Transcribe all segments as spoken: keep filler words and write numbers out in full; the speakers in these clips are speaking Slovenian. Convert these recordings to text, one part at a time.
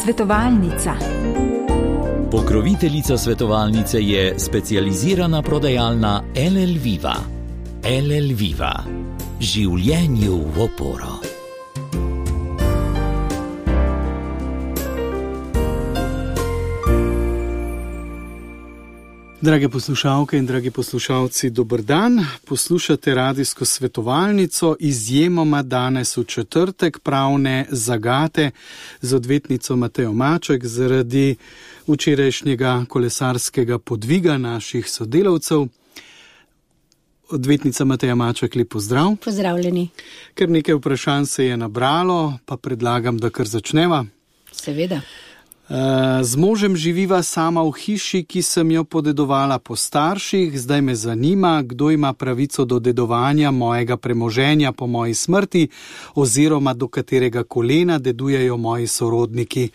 Svetovalnica. Pokroviteljica svetovalnice je specializirana prodajalna L L Viva. L L Viva. Življenju v oporo. Drage poslušalke in dragi poslušalci, dober dan. Poslušate radijsko svetovalnico, izjemoma danes v četrtek, pravne zagate z odvetnico Matejo Maček zaradi včerajšnjega kolesarskega podviga naših sodelavcev. Odvetnica Mateja Maček, lep pozdrav. Pozdravljeni. Ker nekaj vprašanj se je nabralo, pa predlagam, da kar začneva. Seveda. Z možem živiva sama v hiši, ki sem jo podedovala po starših. Zdaj me zanima, kdo ima pravico do dedovanja mojega premoženja po moji smrti oziroma do katerega kolena dedujejo moji sorodniki.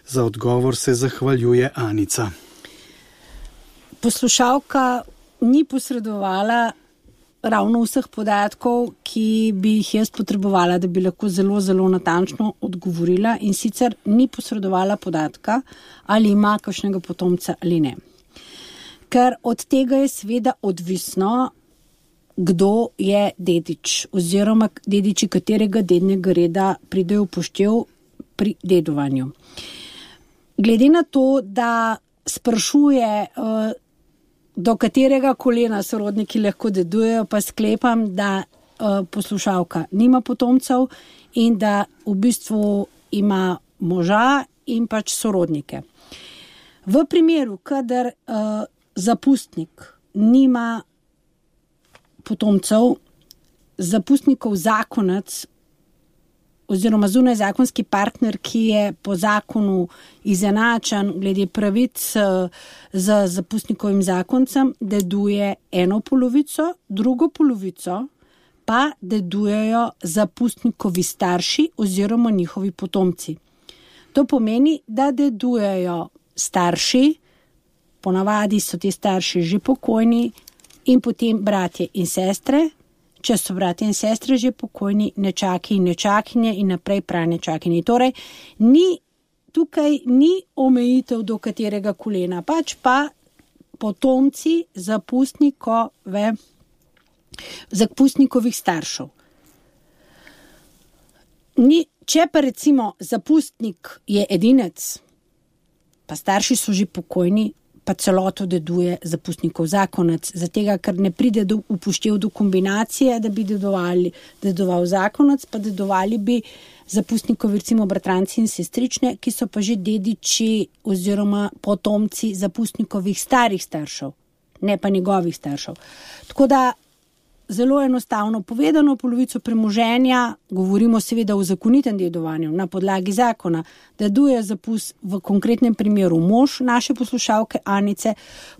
Za odgovor se zahvaljuje Anica. Poslušalka ni posredovala ravno vseh podatkov, ki bi jih jaz potrebovala, da bi lahko zelo, zelo natančno odgovorila, in sicer ni posredovala podatka, ali ima kakšnega potomca ali ne. Ker od tega je seveda odvisno, kdo je dedič oziroma dediči katerega dednega reda pridejo v poštev pri dedovanju. Glede na to, da sprašuje uh, do katerega kolena sorodniki lahko dedujejo, pa sklepam, da uh, poslušalka nima potomcev in da v bistvu ima moža in pač sorodnike. V primeru, kadar uh, zapustnik nima potomcev, zapustnikov zakonec oziroma zunajzakonski partner, ki je po zakonu izenačen glede pravic z zapustnikovim zakoncem, deduje eno polovico, drugo polovico pa dedujejo zapustnikovi starši oziroma njihovi potomci. To pomeni, da dedujejo starši, ponavadi so ti starši že pokojni, in potem bratje in sestre. Če so bratje in sestre že pokojni, nečaki in nečakinje in naprej pranečakinje. Torej, ni, tukaj ni omejitev do katerega kolena, pač pa potomci zapustnikove, zapustnikovih staršev. Ni, če pa recimo zapustnik je edinec, pa starši so že pokojni, pa celoto deduje zapustnikov zakonec, zatega, ker ne pride do upoštev do kombinacije, da bi dedovali, dedoval zakonec, pa dedovali bi zapustnikovi recimo bratranci in sestrične, ki so pa že dediči oziroma potomci zapustnikovih starih staršev, ne pa njegovih staršev. Tako da zelo enostavno povedano, polovico premoženja, govorimo seveda o zakonitem dedovanju na podlagi zakona, deduje zapust v konkretnem primeru mož naše poslušalke Anice,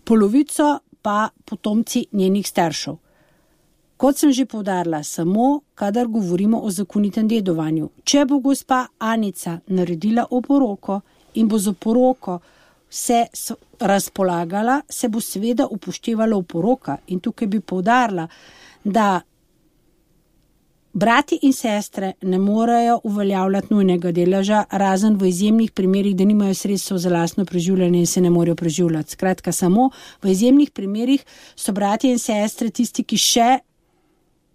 polovico pa potomci njenih staršev. Kot sem že poudarila, samo kadar govorimo o zakonitem dedovanju. Če bo gospa Anica naredila oporoko in bo za oporoko se razpolagala, se bo seveda upoštevala oporoka, in tukaj bi poudarila, da brati in sestre ne morejo uveljavljati nujnega deleža, razen v izjemnih primerih, da nimajo sredstev za lastno preživljanje in se ne morejo preživljati. Skratka, samo v izjemnih primerih so bratje in sestre tisti, ki še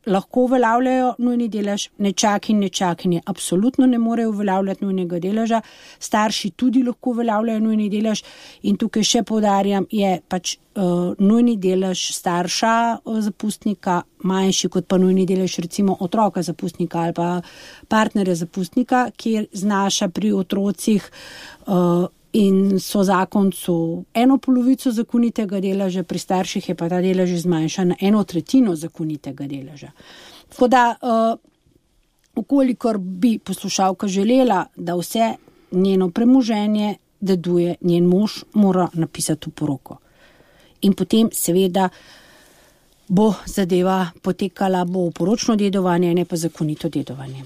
lahko uveljavljajo nujni delež, nečaki in nečakinje absolutno ne morejo uveljavljati nujnega deleža, starši tudi lahko uveljavljajo nujni delež, in tukaj še poudarjam, je pač uh, nujni delež starša uh, zapustnika manjši kot pa nujni delež recimo otroka zapustnika ali pa partnerja zapustnika, kjer znaša pri otrocih uh, in so zakoncu eno polovico zakonitega deleža, pri starših je pa ta delež zmanjšan na eno tretjino zakonitega deleža. Tako da, uh, ukolikor bi poslušalka želela, da vse njeno premoženje deduje njen mož, mora napisati oporoko. In potem seveda bo zadeva potekala, bo oporočno dedovanje, ne pa zakonito dedovanje.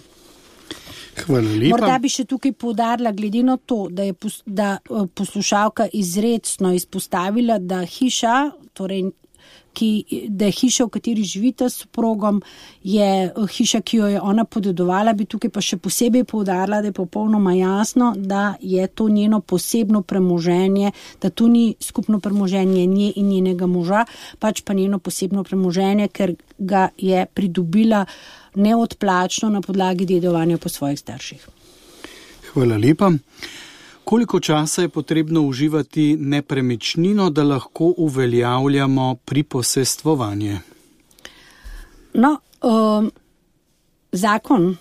Hvala lepa. Morda bi še tukaj poudarila, glede na to, da je pos, da poslušalka izrecno izpostavila, da hiša, torej ki, da je hiša, v kateri živita s soprogom, je hiša, ki jo je ona podedovala, bi tukaj pa še posebej poudarila, da je popolnoma jasno, da je to njeno posebno premoženje, da to ni skupno premoženje nje in njenega moža, pač pa njeno posebno premoženje, ker ga je pridobila neodplačno na podlagi dedovanja po svojih starših. Hvala lepa. Koliko časa je potrebno uživati nepremičnino, da lahko uveljavljamo priposestvovanje? No, um, zakon,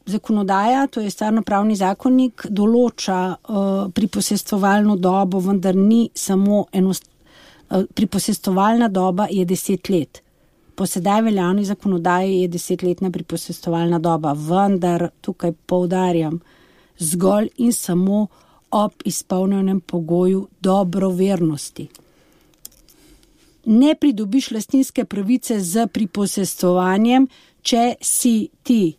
zakonodaja, to je stvarnopravni zakonnik, določa uh, priposestvovalno dobo, vendar ni samo enost... Uh, priposestovalna doba je deset let. Po sedaj veljavni zakonodaji je desetletna priposestovalna doba, vendar tukaj poudarjam zgolj in samo ob izpolnjenem pogoju dobrovernosti. Ne pridobiš lastninske pravice z priposestvovanjem, če si ti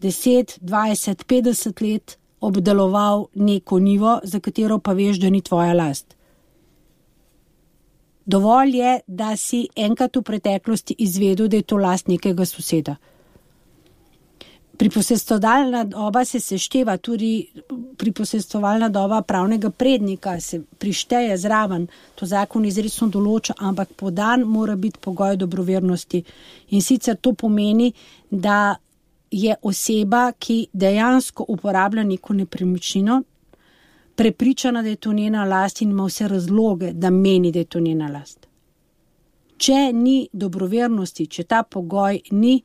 deset, dvajset, petdeset let obdeloval neko njivo, za katero pa veš, da ni tvoja last. Dovolj je, da si enkrat v preteklosti izvedel, da je to last nekega soseda. Priposestovalna doba se sešteva, tudi priposestovalna doba pravnega prednika se prišteje zraven, to zakon izrecno določa, ampak podan mora biti pogoj dobrovernosti. In sicer to pomeni, da je oseba, ki dejansko uporablja neko nepremičnino, prepričana, da je to njena last in ima vse razloge, da meni, da je to njena last. Če ni dobrovernosti, če ta pogoj ni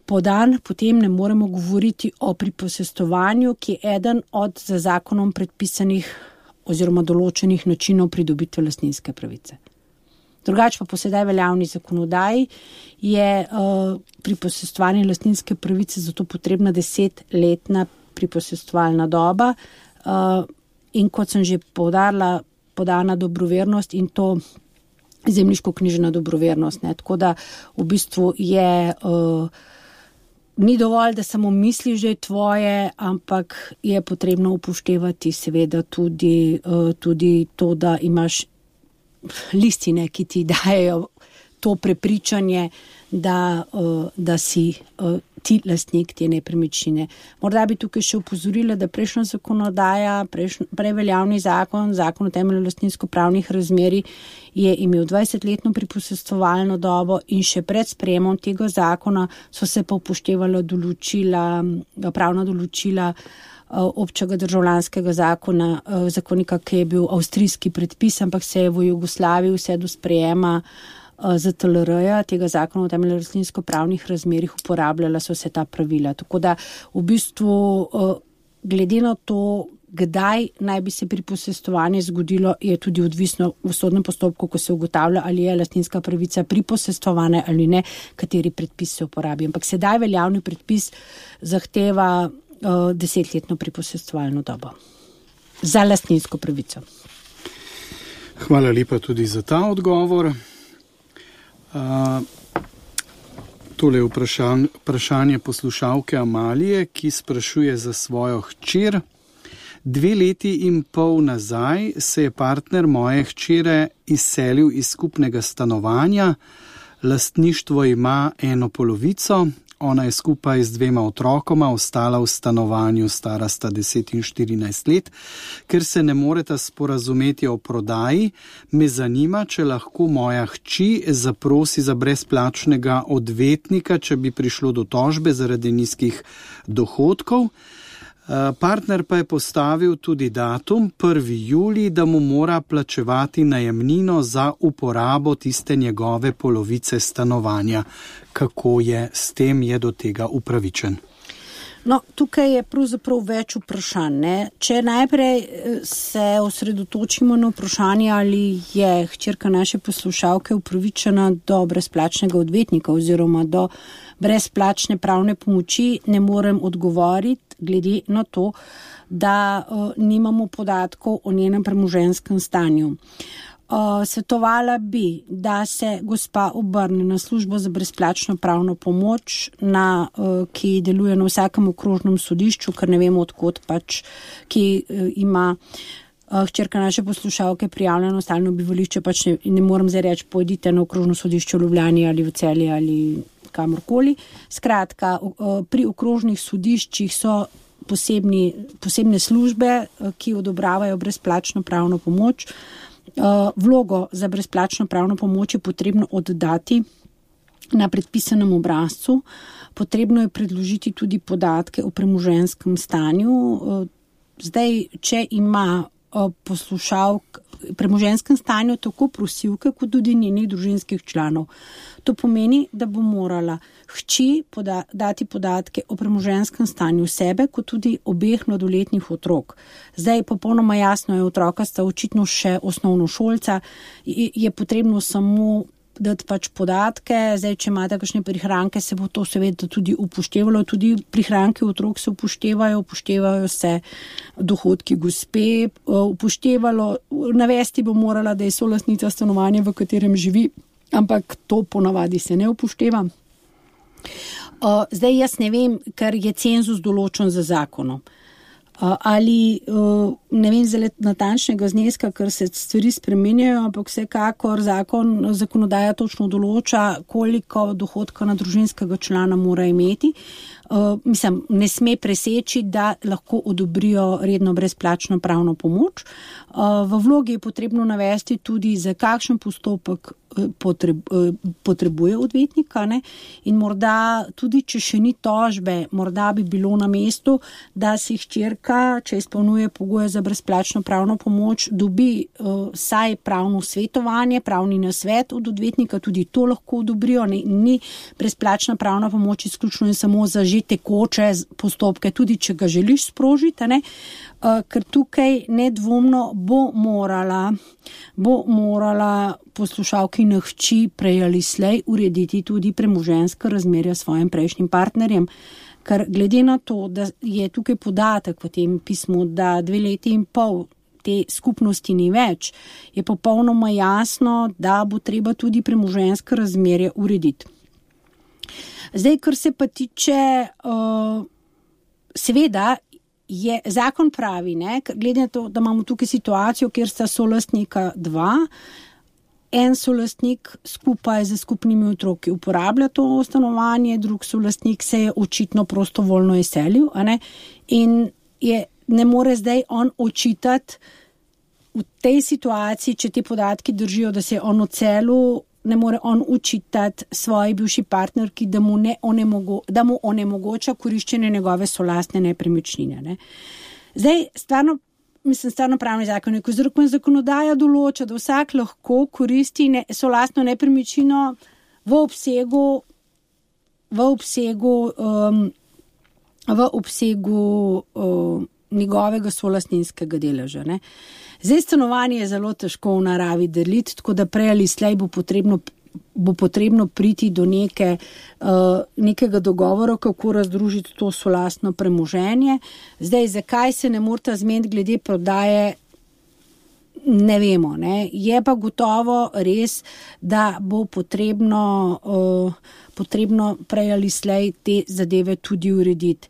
podan, potem ne moremo govoriti o priposestovanju, ki je eden od za zakonom predpisanih oziroma določenih načinov pridobitve lastninske pravice. Drugače pa po sedaj veljavni zakonodaji je uh, priposestovanje lastninske pravice zato potrebna desetletna priposestovalna doba uh, in kot sem že poudarila, podana dobrovernost in to zemljiško-knjižna dobrovernost. Ne? Tako da v bistvu je uh, ni dovolj, da samo misliš, da je tvoje, ampak je potrebno upoštevati seveda tudi, uh, tudi to, da imaš listine, ki ti dajejo to prepričanje, da, uh, da si uh, ti lastnik te nepremičnine. Morda bi tukaj še opozorila, da prejšnja zakonodaja, prejšnj, preveljavni zakon, zakon o temelju lastninsko-pravnih razmerij je imel dvajsetletno priposestovalno dobo in še pred sprejemom tega zakona so se pa upoštevala določila, pravna določila občega državljanskega zakona, zakonika, ki je bil avstrijski predpis, ampak se je v Jugoslaviji vse do sprejema Z T L R-ja, tega zakona o temelju lastninsko-pravnih razmerjih uporabljala so se ta pravila. Tako da v bistvu glede na to, kdaj naj bi se priposestovanje zgodilo, je tudi odvisno v sodnem postopku, ko se ugotavlja, ali je lastninska pravica priposestovana ali ne, kateri predpis se uporabi. Ampak sedaj veljavni predpis zahteva uh, desetletno priposestovalno dobo za lastninsko pravico. Hvala lepa tudi za ta odgovor. Uh, tole je vprašan, vprašanje poslušalke Amalije, ki sprašuje za svojo hčer. Dve leti in pol nazaj se je partner moje hčere izselil iz skupnega stanovanja. Lastništvo ima eno polovico. Ona je skupaj z dvema otrokoma ostala v stanovanju, stara sta deset in štirinajst let. Ker se ne moreta sporazumeti o prodaji, me zanima, če lahko moja hči zaprosi za brezplačnega odvetnika, če bi prišlo do tožbe zaradi nizkih dohodkov. Partner pa je postavil tudi datum prvi julij, da mu mora plačevati najemnino za uporabo tiste njegove polovice stanovanja. Kako je s tem, je do tega upravičen? No, tukaj je pravzaprav več vprašanj. Ne? Če najprej se osredotočimo na vprašanje, ali je hčerka naše poslušalke upravičena do brezplačnega odvetnika oziroma do brezplačne pravne pomoči, ne morem odgovoriti, glede na to, da uh, nimamo podatkov o njenem premoženjskem stanju. Uh, svetovala bi, da se gospa obrne na službo za brezplačno pravno pomoč, na, uh, ki deluje na vsakem okrožnem sodišču, ker ne vemo odkot pač, ki uh, ima hčerka naše poslušalke prijavljena na stalno bivališče, pač ne, ne morem zdaj reči, pojdite na okrožno sodišče v Ljubljani ali v Celje ali kamorkoli. Skratka, pri okrožnih sodiščih so posebni, posebne službe, ki odobravajo brezplačno pravno pomoč. Vlogo za brezplačno pravno pomoč je potrebno oddati na predpisanem obrazcu. Potrebno je predložiti tudi podatke o premoženjskem stanju. Zdaj, če ima poslušalk premoženjskem stanju tako prosilke, kot tudi njenih družinskih članov. To pomeni, da bo morala hči poda- dati podatke o premoženjskem stanju sebe, kot tudi obeh mladoletnih otrok. Zdaj, popolnoma jasno je, otroka sta očitno še osnovnošolca, je potrebno samo dati pač podatke. Zdaj, če imate kakšne prihranke, se bo to seveda tudi upoštevalo. Tudi prihranke otrok se upoštevajo, upoštevajo se dohodki gospe, upoštevalo, navesti bo morala, da je solastnica stanovanja, v katerem živi, ampak to ponavadi se ne upošteva. Zdaj, jaz ne vem, ker je cenzus določen za zakonom. Ali ne vem zelo natančnega zneska, ker se stvari spremenjajo, ampak vsekakor zakon, zakonodaja točno določa, koliko dohodka na družinskega člana mora imeti. Uh, mislim, ne sme preseči, da lahko odobrijo redno brezplačno pravno pomoč. Uh, v vlogi je potrebno navesti tudi, za kakšen postopek potreb, potrebuje odvetnika, ne? In morda tudi, če še ni tožbe, morda bi bilo na mestu, da si hčerka, če izpolnjuje pogoje za brezplačno pravno pomoč, dobi uh, saj pravno svetovanje, pravni nasvet od odvetnika, tudi to lahko odobrijo. Ne? Ni brezplačna pravna pomoč izključno in samo za že tekoče postopke, tudi če ga želiš sprožiti, ne? Uh, ker tukaj nedvomno bo morala, bo morala poslušalkina hči prej ali slej urediti tudi premoženjska razmerja s svojim prejšnjim partnerjem. Ker glede na to, da je tukaj podatek v tem pismu, da dve leti in pol te skupnosti ni več, je popolnoma jasno, da bo treba tudi premoženjska razmerja urediti. Zdaj, kar se pa tiče, uh, seveda, je zakon pravi, ne, glede na to, da imamo tukaj situacijo, kjer sta solastnika dva, en solastnik skupaj z skupnimi otroki uporablja to stanovanje, drug solastnik se je očitno prostovoljno izselil, a ne, in je, ne more zdaj on očitati v tej situaciji, če te podatki držijo, da se je on odselil, ne more on učitati svoji bivši partnerki, da mu, ne onemogo, da mu onemogoča koriščenje njegove solastne nepremičnine. Ne. Zdaj, stvarno, mislim, stvarno pravni zakon, ko zakonodaja določa, da vsak lahko koristi ne, solastno nepremičnino v obsegu, v obsegu, um, v obsegu um, njegovega solastninskega deleža. Ne. Zdaj, stanovanje je zelo težko v naravi deliti, tako da prej ali slej bo potrebno, bo potrebno priti do neke, uh, nekega dogovora, kako razdružiti to solastno premoženje. Zdaj, zakaj se ne morata zmeniti glede prodaje, ne vemo. Ne? Je pa gotovo res, da bo potrebno, uh, potrebno prej ali slej te zadeve tudi urediti.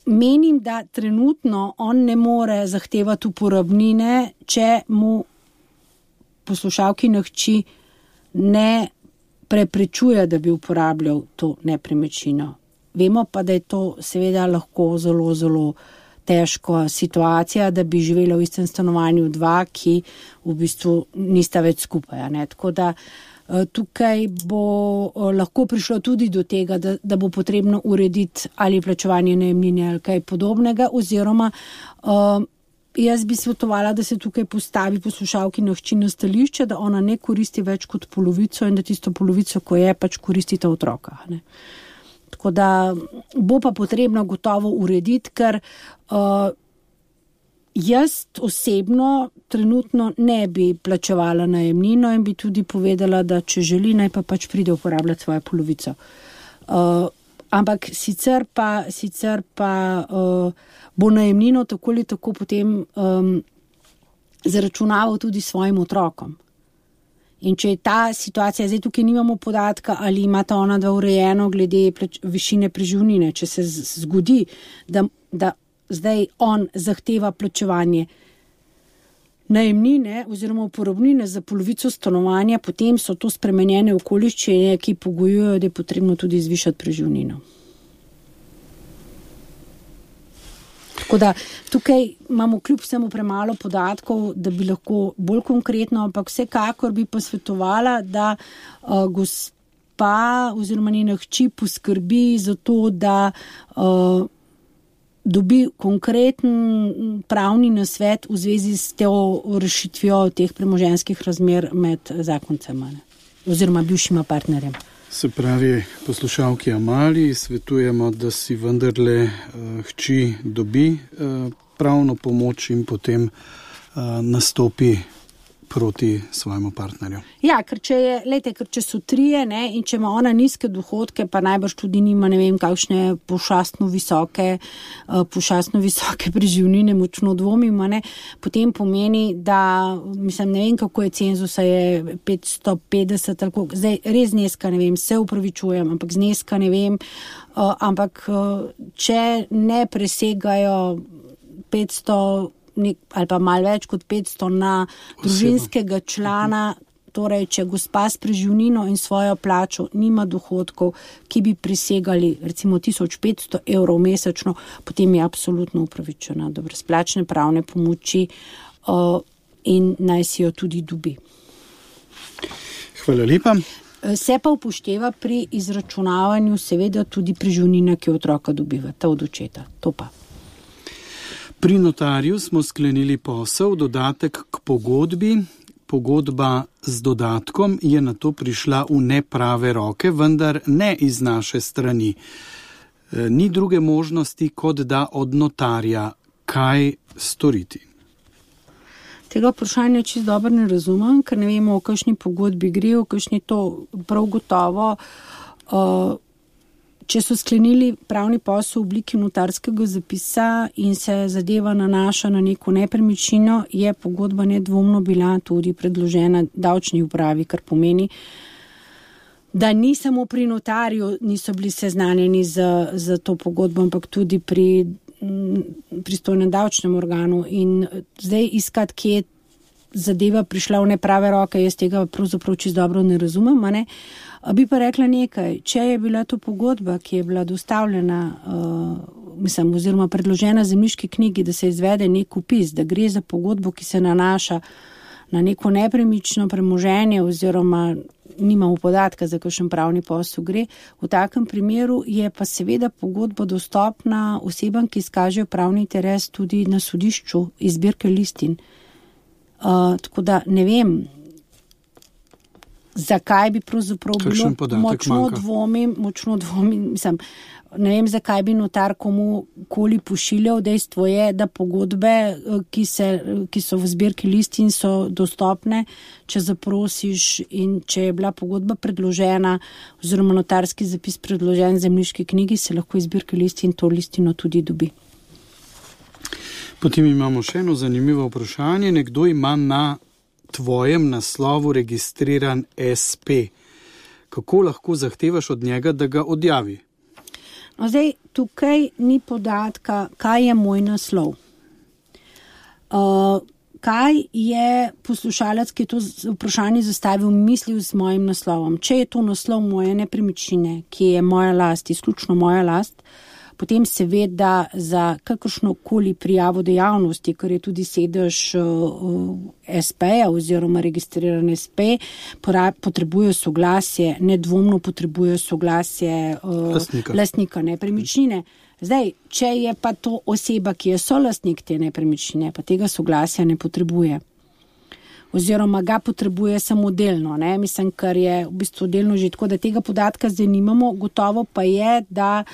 Menim, da trenutno on ne more zahtevati uporabnine, če mu poslušalkina hči ne preprečuje, da bi uporabljal to nepremičnino. Vemo pa, da je to seveda lahko zelo, zelo težka situacija, da bi živela v istem stanovanju dva, ki v bistvu nista več skupaj. Ne? Tako da tukaj bo lahko prišlo tudi do tega, da, da bo potrebno urediti ali plačevanje najemnine ali kaj podobnega, oziroma uh, jaz bi svetovala, da se tukaj postavi poslušalkina hči na stališče, da ona ne koristi več kot polovico in da tisto polovico, ko je, pač koristita otroka. Ne? Tako da bo pa potrebno gotovo urediti, ker uh, jaz osebno trenutno ne bi plačevala najemnino in bi tudi povedala, da če želi, naj pa pač pride uporabljati svojo polovico. Uh, ampak sicer pa, sicer pa uh, bo najemnino tako ali tako potem um, zaračunaval tudi svojim otrokom. In če je ta situacija, zdaj tukaj nimamo podatka, ali imata ona dva urejeno glede plač, višine preživnine, če se zgodi, da, da zdaj on zahteva plačevanje najemnine oziroma uporabnine za polovico stanovanja, potem so to spremenjene okoliščine, ki pogojujejo, da je potrebno tudi zvišati preživnino. Tako da tukaj imamo kljub vsemu premalo podatkov, da bi lahko bolj konkretno, ampak vsekakor bi posvetovala, da uh, gospa oziroma njena hči poskrbi za to, da uh, dobi konkreten pravni nasvet v zvezi s to rešitvijo teh premoženjskih razmer med zakoncema oziroma bivšima partnerjem. Se pravi, poslušalki Amaliji svetujemo, da si vendarle uh, hči dobi uh, pravno pomoč in potem uh, nastopi proti svojemu partnerju. Ja, ker če je, lejte, ker če so trije, ne, in če ima ona nizke dohodke, pa najbrž tudi nima, ne vem, kakšne pošastno visoke, uh, pošastno visoke preživnine, močno dvomimo, ne, potem pomeni, da, mislim, ne vem, kako je cenzusa, je petsto petdeset, ali koliko, zdaj res zneska, ne vem, se upravičujem, ampak zneska, ne vem, uh, ampak uh, če ne presegajo petsto Nek, ali pa malo več kot petsto na družinskega člana, torej če gospa s preživnino in svojo plačo nima dohodkov, ki bi presegali recimo tisoč petsto evrov mesečno, potem je absolutno upravičena do brezplačne pravne pomoči uh, in naj si jo tudi dobi. Hvala lepa. Se pa upošteva pri izračunavanju seveda tudi preživnina, ki otroka dobiva, ta od očeta. To pa. Pri notarju smo sklenili posel, dodatek k pogodbi. Pogodba z dodatkom je na to prišla v neprave roke, vendar ne iz naše strani. Ni druge možnosti, kot da od notarja. Kaj storiti? Tega vprašanja čisto dobro ne razumem, ker ne vemo, o kakšni pogodbi gre, o kakšni to prav gotovo. Uh, Če so sklenili pravni posel v obliki notarskega zapisa in se zadeva nanaša na neko nepremičnino, je pogodba nedvomno bila tudi predložena davčni upravi, kar pomeni, da ni samo pri notarju niso bili seznanjeni z, z to pogodbo, ampak tudi pri pristojnem davčnem organu. In zdaj iskati, kje je zadeva prišla v neprave roke, jaz tega pravzaprav čisto dobro ne razumem, a ne? Bi pa rekla nekaj, če je bila to pogodba, ki je bila dostavljena, uh, mislim, oziroma predložena zemljiški knjigi, da se izvede nek upis, da gre za pogodbo, ki se nanaša na neko nepremično premoženje oziroma nimamo podatka, za kakšen pravni posel gre, v takem primeru je pa seveda pogodba dostopna osebam, ki izkažejo pravni interes tudi na sodišču iz zbirke listin. Uh, tako da ne vem, zakaj bi pravzaprav bilo, močno manjka. dvomim, močno dvomim, mislim, ne vem, zakaj bi notar komu koli pošiljal. Dejstvo je, da pogodbe, ki, se, ki so v zbirki listin, so dostopne, če zaprosiš in če je bila pogodba predložena oziroma notarski zapis predložen zemljiški knjigi, se lahko iz zbirke listin to listino tudi dobi. Potem imamo še eno zanimivo vprašanje. Nekdo ima na tvojem naslovu registriran es pe. Kako lahko zahtevaš od njega, da ga odjavi? No, zdaj, tukaj ni podatka, kaj je moj naslov. Uh, kaj je poslušalec, ki je to vprašanje zastavil, mislil z mojim naslovom? Če je to naslov moje nepremičnine, ki je moja last, izključno moja last, potem seveda za kakršnokoli prijavo dejavnosti, kar je tudi sedež uh, es peja oziroma registriran es pe, potrebuje soglasje, nedvomno potrebuje soglasje uh, lastnika. lastnika nepremičnine. Zdaj, če je pa to oseba, ki je solastnik te nepremičnine, pa tega soglasja ne potrebuje. Oziroma ga potrebuje samo delno, ne? Mislim, kar je v bistvu delno že tako, da tega podatka zdaj nimamo. Gotovo pa je, da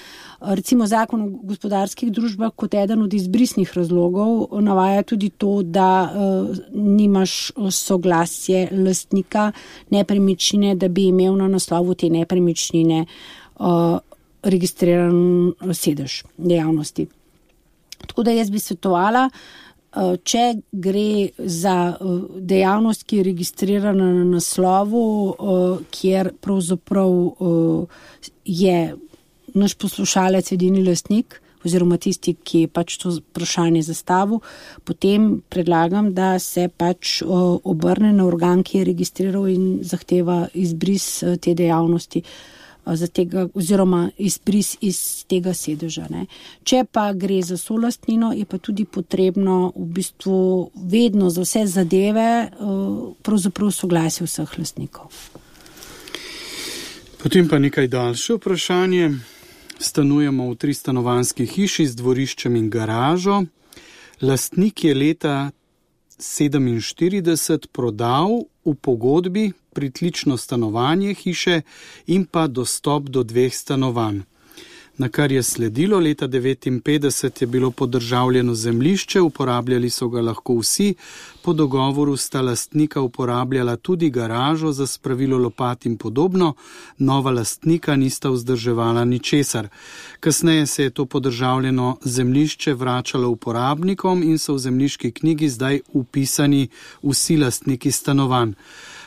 recimo zakon o gospodarskih družbah kot eden od izbrisnih razlogov navaja tudi to, da uh, nimaš soglasje lastnika nepremičnine, da bi imel na naslovu te nepremičnine uh, registriran sedež dejavnosti. Tako da jaz bi svetovala, če gre za dejavnost, ki je registrirana na naslovu, kjer pravzaprav je naš poslušalec edini lastnik oziroma tisti, ki je pač to vprašanje zastavil, potem predlagam, da se pač obrne na organ, ki je registriral in zahteva izbris te dejavnosti za tega, oziroma izbris iz tega sedeža. Ne. Če pa gre za solastnino, je pa tudi potrebno v bistvu vedno za vse zadeve pravzaprav soglasje vseh lastnikov. Potem pa nekaj daljše vprašanje. Stanujemo v tristanovanjski hiši z dvoriščem in garažo. Lastnik je leta sedeminštirideset prodal v pogodbi pritlično stanovanje hiše in pa dostop do dveh stanovanj. Na kar je sledilo, leta devetinpetdeset je bilo podržavljeno zemljišče, uporabljali so ga lahko vsi, po dogovoru sta lastnika uporabljala tudi garažo za spravilo lopat in podobno, nova lastnika nista vzdrževala ničesar. Kasneje se je to podržavljeno zemljišče vračalo uporabnikom in so v zemljiški knjigi zdaj upisani vsi lastniki stanovanj.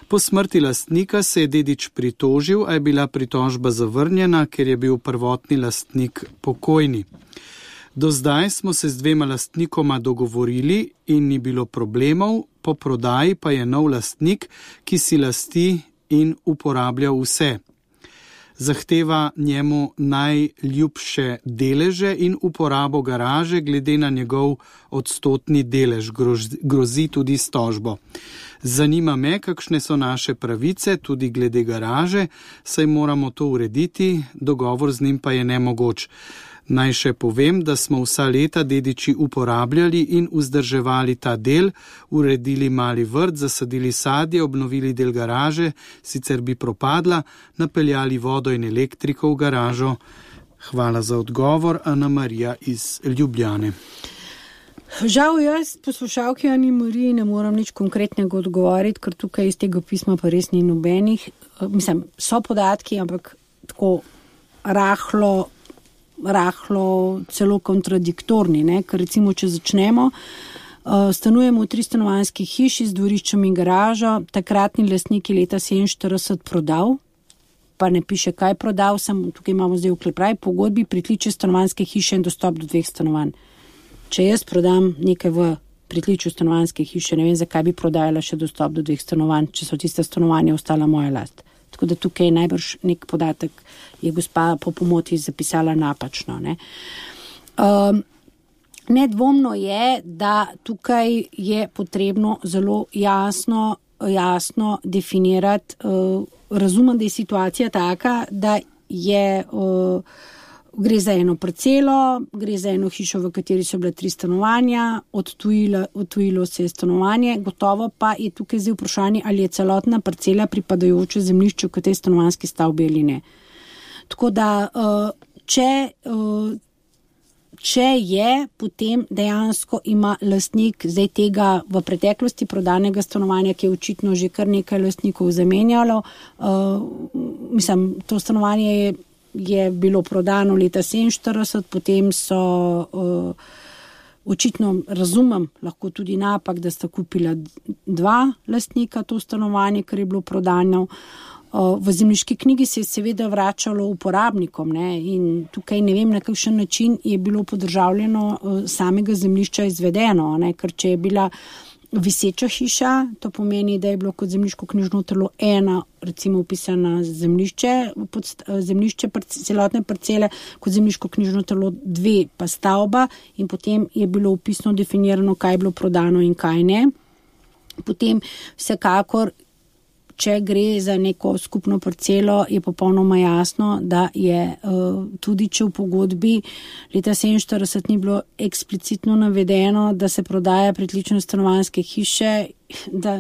Po smrti lastnika se je dedič pritožil, a je bila pritožba zavrnjena, ker je bil prvotni lastnik pokojni. Do zdaj smo se z dvema lastnikoma dogovorili in ni bilo problemov, po prodaji pa je nov lastnik, ki si lasti in uporablja vse. Zahteva njemu najljubše deleže in uporabo garaže glede na njegov odstotni delež, grozi tudi s tožbo. Zanima me, kakšne so naše pravice, tudi glede garaže, saj moramo to urediti, dogovor z njim pa je nemogoč. Naj še povem, da smo vsa leta dediči uporabljali in vzdrževali ta del, uredili mali vrt, zasadili sadje, obnovili del garaže, sicer bi propadla, napeljali vodo in elektriko v garažo. Hvala za odgovor, Ana Marija iz Ljubljane. Žal jaz, poslušalki Ani Mariji, ne moram nič konkretnega odgovoriti, ker tukaj iz tega pisma pa res ni nobenih. Mislim, so podatki, ampak tako rahlo, rahlo celo kontradiktorni, ne? Ker recimo, če začnemo, stanujemo v tristanovanjski hiši z dvoriščem in garažo, takratni lastnik je leta sedeminštirideset prodal, pa ne piše, kaj prodal, sem tukaj imamo zdaj vklepaj, pogodbi pritličje stanovanjske hiše in dostop do dveh stanovanj. Če jaz prodam nekaj v pritličju stanovanjske hiše, ne vem, zakaj bi prodajala še dostop do dveh stanovanj, če so tiste stanovanja ostala moja last. Tako da tukaj najbrž nek podatek je gospa po pomoti zapisala napačno. Ne. Um, nedvomno je, da tukaj je potrebno zelo jasno, jasno definirati. Uh, razumem, da je situacija taka, da je... Uh, Gre za eno parcelo, gre za eno hišo, v kateri so bile tri stanovanja, odtujilo, odtujilo se je stanovanje, gotovo pa je tukaj zdaj vprašanje, ali je celotna parcela pripadajoče zemljišču k tej stanovanjski stavbi ali ne. Tako da, če, če je, potem dejansko ima lastnik zdaj tega v preteklosti prodanega stanovanja, ki je očitno že kar nekaj lastnikov zamenjalo, mislim, to stanovanje je je bilo prodano leta sedeminštirideset, potem so uh, očitno, razumem, lahko tudi napak, da sta kupila dva lastnika to stanovanje, ker je bilo prodano. Uh, v zemljiški knjigi se je seveda vračalo uporabnikom, ne, in tukaj ne vem, na kakšen način je bilo podržavljeno uh, samega zemljišča izvedeno, ne, ker če je bila viseča hiša, to pomeni, da je bilo kot zemljiško knjižno telo ena, recimo upisana zemljišče, zemljišče celotne parcele, kot zemljiško knjižno telo dve pa stavba in potem je bilo upisno definirano, kaj je bilo prodano in kaj ne. Potem vsekakor, če gre za neko skupno parcelo, je popolnoma jasno, da je tudi, če v pogodbi leta sedeminštirideset ni bilo eksplicitno navedeno, da se prodaja pritlične stanovanjske hiše, da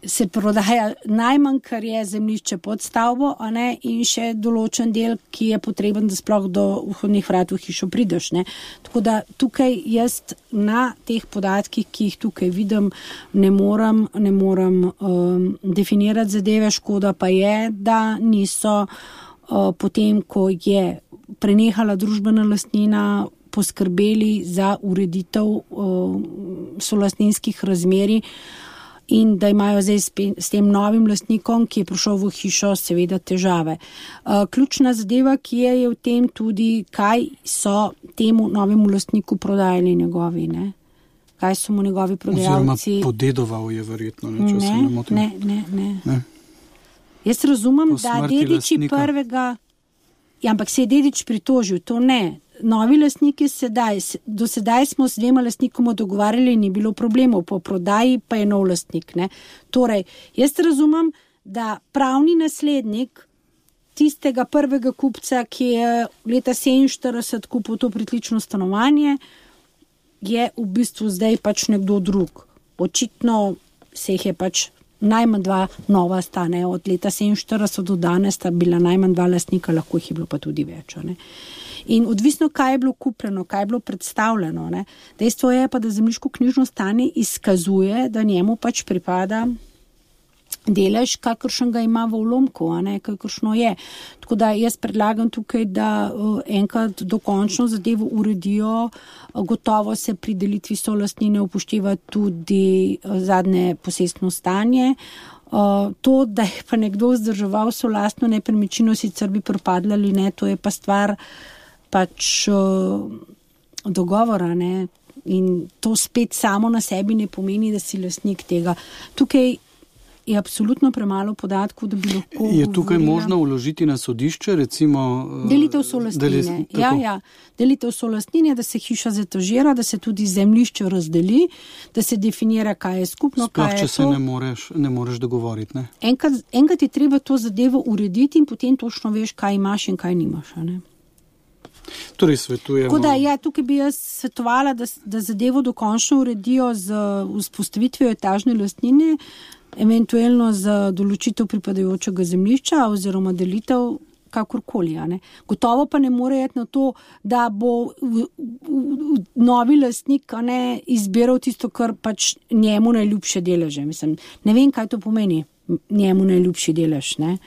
se prodaja najmanj, kar je zemljišče pod stavbo, a ne, in še določen del, ki je potreben, da sploh do vhodnih vrat v hišo prideš. Ne. Tako da tukaj jaz na teh podatkih, ki jih tukaj vidim, ne moram, ne moram um, definirati zadeve. Škoda pa je, da niso uh, potem, ko je prenehala družbena lastnina, poskrbeli za ureditev uh, solastninskih razmerij. in da imajo zdaj s tem novim lastnikom, ki je prišel v hišo, seveda težave. Ključna zadeva, ki je, je v tem tudi, kaj so temu novemu lastniku prodajali njegovi, ne? Kaj so mu njegovi prodajalci... Oziroma podedoval je verjetno, ne, če ne, se ne motim. Ne, ne, ne. ne. Jaz razumem, da dediči lastnika. Prvega... Ja, ampak se je dedič pritožil, to ne. Novi lastniki sedaj, do sedaj smo s dvema lastnikoma dogovarjali, ni bilo problemov, po prodaji pa je nov lastnik, ne. Torej, jaz razumem, da pravni naslednik tistega prvega kupca, ki je leta sedeminštirideset kupil to pritlično stanovanje, je v bistvu zdaj pač nekdo drug. Očitno se jih je pač najmanj dva nova stane. Od leta sedeminštirideset do danes sta bila najmanj dva lastnika, lahko jih je bilo pa tudi več. Ne? In odvisno, kaj je bilo kupljeno, kaj je bilo predstavljeno. Ne? Dejstvo je pa, da zemljiško-knjižno stanje izkazuje, da njemu pač pripada delež, kakršen ga ima v ulomku, a ne, kakršno je. Tako da jaz predlagam tukaj, da uh, enkrat dokončno zadevo uredijo, uh, gotovo se pri delitvi solastnine upošteva tudi uh, zadnje posestno stanje. Uh, to, da je pa nekdo vzdrževal solastno nepremičnino, sicer bi propadla ali ne, to je pa stvar pač uh, dogovora, ne. In to spet samo na sebi ne pomeni, da si lastnik tega. Tukaj je absolutno premalo podatkov, da bi lahko... Je tukaj govorila... možno vložiti na sodišče, recimo... Delitev solastnine. Deli... Ja, ja. Delitev solastnine, da se hiša zetažira, da se tudi zemljišče razdeli, da se definira, kaj je skupno, Sploh, kaj je to. Sploh, če se ne moreš, ne moreš dogovoriti, ne? Enkrat, enkrat je treba to zadevo urediti in potem točno veš, kaj imaš in kaj nimaš, ne? Torej svetujemo... Tako da, ja, tukaj bi jaz svetovala, da, da zadevo dokončno uredijo z vzpostavitvijo etažne lastnine, eventualno za določitev pripadajočega zemljišča oziroma delitev kakorkoli. Ne. Gotovo pa ne more iti na to, da bo v, v, v, novi lastnik ne, izbiral tisto, kar pač njemu najljubše deleže. Mislim, ne vem, kaj to pomeni, njemu najljubši delež. Ne.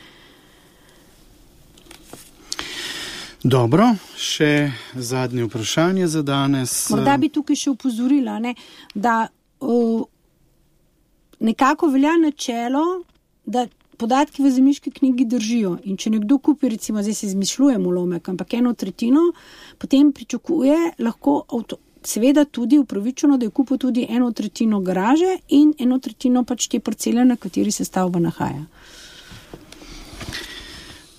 Dobro, še zadnje vprašanje za danes. Morda bi tukaj še upozorila, ne, da uh, nekako velja načelo, da podatki v zemljiški knjigi držijo. In če nekdo kupi, recimo, zdaj se izmišljujem ulomek, ampak eno tretjino, potem pričakuje lahko avto, seveda tudi upravičeno, da je kupil tudi eno tretjino garaže in eno tretjino pač te parcele, na kateri se stavba nahaja.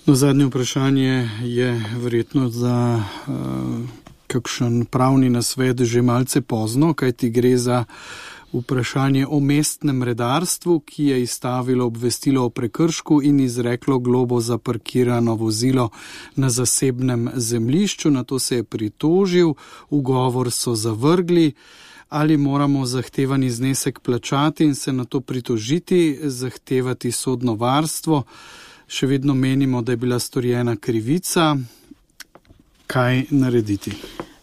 No, zadnje vprašanje je verjetno za uh, kakšen pravni nasvet že malce pozno, kajti gre za vprašanje o mestnem redarstvu, ki je izstavilo obvestilo o prekršku in izreklo globo za parkirano vozilo na zasebnem zemljišču. Na to se je pritožil, ugovor so zavrgli. Ali moramo zahtevani znesek plačati in se na to pritožiti, zahtevati sodno varstvo? Še vedno menimo, da je bila storjena krivica. Kaj narediti?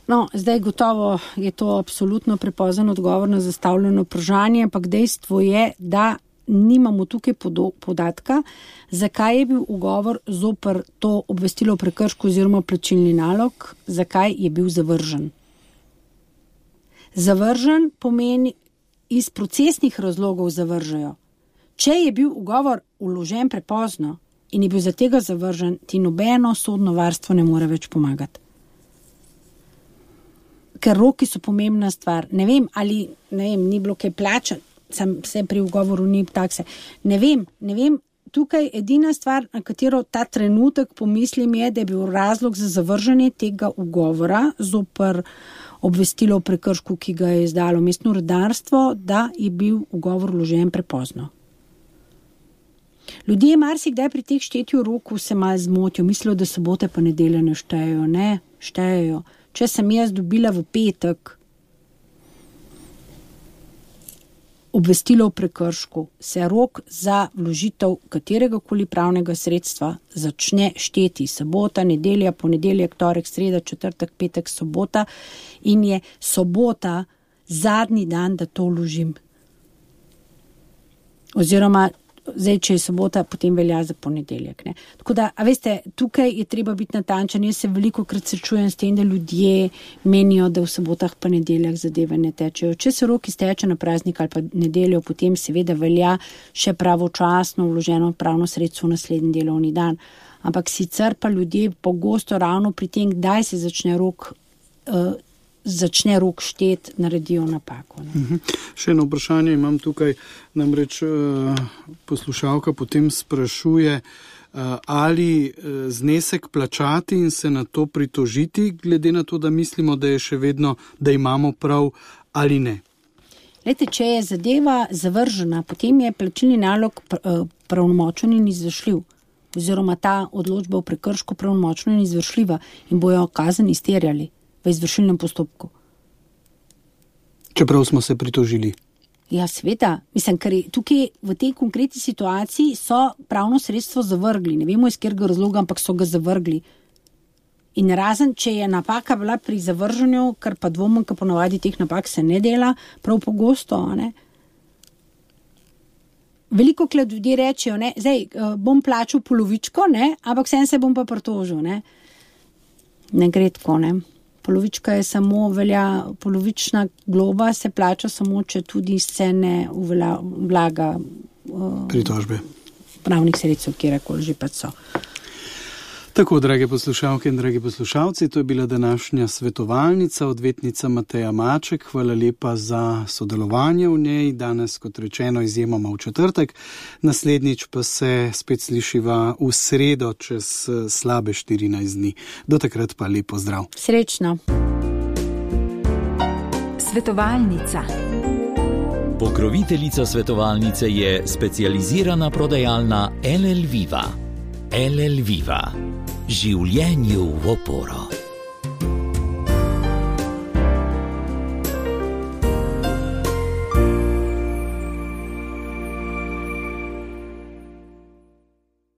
No, zdaj gotovo je to absolutno prepozen odgovor na zastavljeno vprašanje, ampak dejstvo je, da nimamo tukaj podatka, zakaj je bil ugovor zoper to obvestilo o prekršku oziroma plačilni nalog, zakaj je bil zavržen. Zavržen pomeni iz procesnih razlogov zavržajo. Če je bil ugovor vložen prepozno in je bil za tega zavržen, ti nobeno sodno varstvo ne more več pomagati. Ker roki so pomembna stvar. Ne vem, ali ne vem, ni bilo kaj plačan, sem se pri ugovoru ni takse. Ne vem, ne vem, tukaj edina stvar, na katero ta trenutek pomislim je, da je bil razlog za zavržanje tega ugovora zoper obvestilo o prekršku, ki ga je izdalo mestno redarstvo, da je bil ugovor vložen prepozno. Ljudje marsikdaj pri teh štetju roku se malo zmotijo, mislijo, da sobote pa nedelje ne štejejo. Ne, štejejo. Če sem jaz dobila v petek obvestilo o prekršku, se rok za vložitev kateregakoli pravnega sredstva začne šteti. Sobota, nedelja, ponedeljek, torek, sreda, četrtek, petek, sobota in je sobota zadnji dan, da to vložim. Oziroma zdaj, če je sobota, potem velja za ponedeljek. Ne. Tako da, a veste, tukaj je treba biti natančen. Jaz se veliko krat srečujem s tem, da ljudje menijo, da v sobotah pa nedeljah zadeve ne tečejo. Če se rok izteče na praznik ali pa nedeljo, potem seveda velja še pravočasno vloženo pravno sredstvo v naslednji delovni dan. Ampak sicer pa ljudje pogosto ravno pri tem, kdaj se začne rok, uh, začne rok štet, naredijo napako. Uh-huh. Še eno vprašanje imam tukaj, namreč uh, poslušalka potem sprašuje, uh, ali uh, znesek plačati in se na to pritožiti, glede na to, da mislimo, da je še vedno, da imamo prav ali ne. Lejte, če je zadeva zavržena, potem je plačilni nalog uh, pravnomočen in izvršljiv. Oziroma ta odločba v prekršku pravnomočna in izvršljiva in bojo kazen izterjali v izvršilnem postopku. Čeprav smo se pritožili. Ja, sveta. Mislim, ker tukaj v tej konkretni situaciji so pravno sredstvo zavrgli. Ne vemo iz katerega razloga, ampak so ga zavrgli. In razen, če je napaka bila pri zavrženju, kar pa dvomim, ker ponavadi teh napak se ne dela, prav pogosto, ne? Veliko krat ljudje rečejo, ne, zdaj bom plačal polovičko, ne, ampak vsem se bom pa pritožil, ne. Ne gre tako, ne. Polovička je samo velja, polovična globa se plača samo, če tudi se ne vlaga uh, pritožbe. Pravnih sredstev, kjerakoli že pa so. Tako, drage poslušalke in dragi poslušalci, to je bila današnja svetovalnica, odvetnica Mateja Maček. Hvala lepa za sodelovanje v njej. Danes, kot rečeno, izjemoma v četrtek. Naslednjič pa se spet slišiva v sredo čez slabe štirinajst dni. Do takrat pa lep pozdrav. Srečno. Svetovalnica. Pokroviteljica svetovalnice je specializirana prodajalna L L Viva. L L Viva. Življenju v oporo.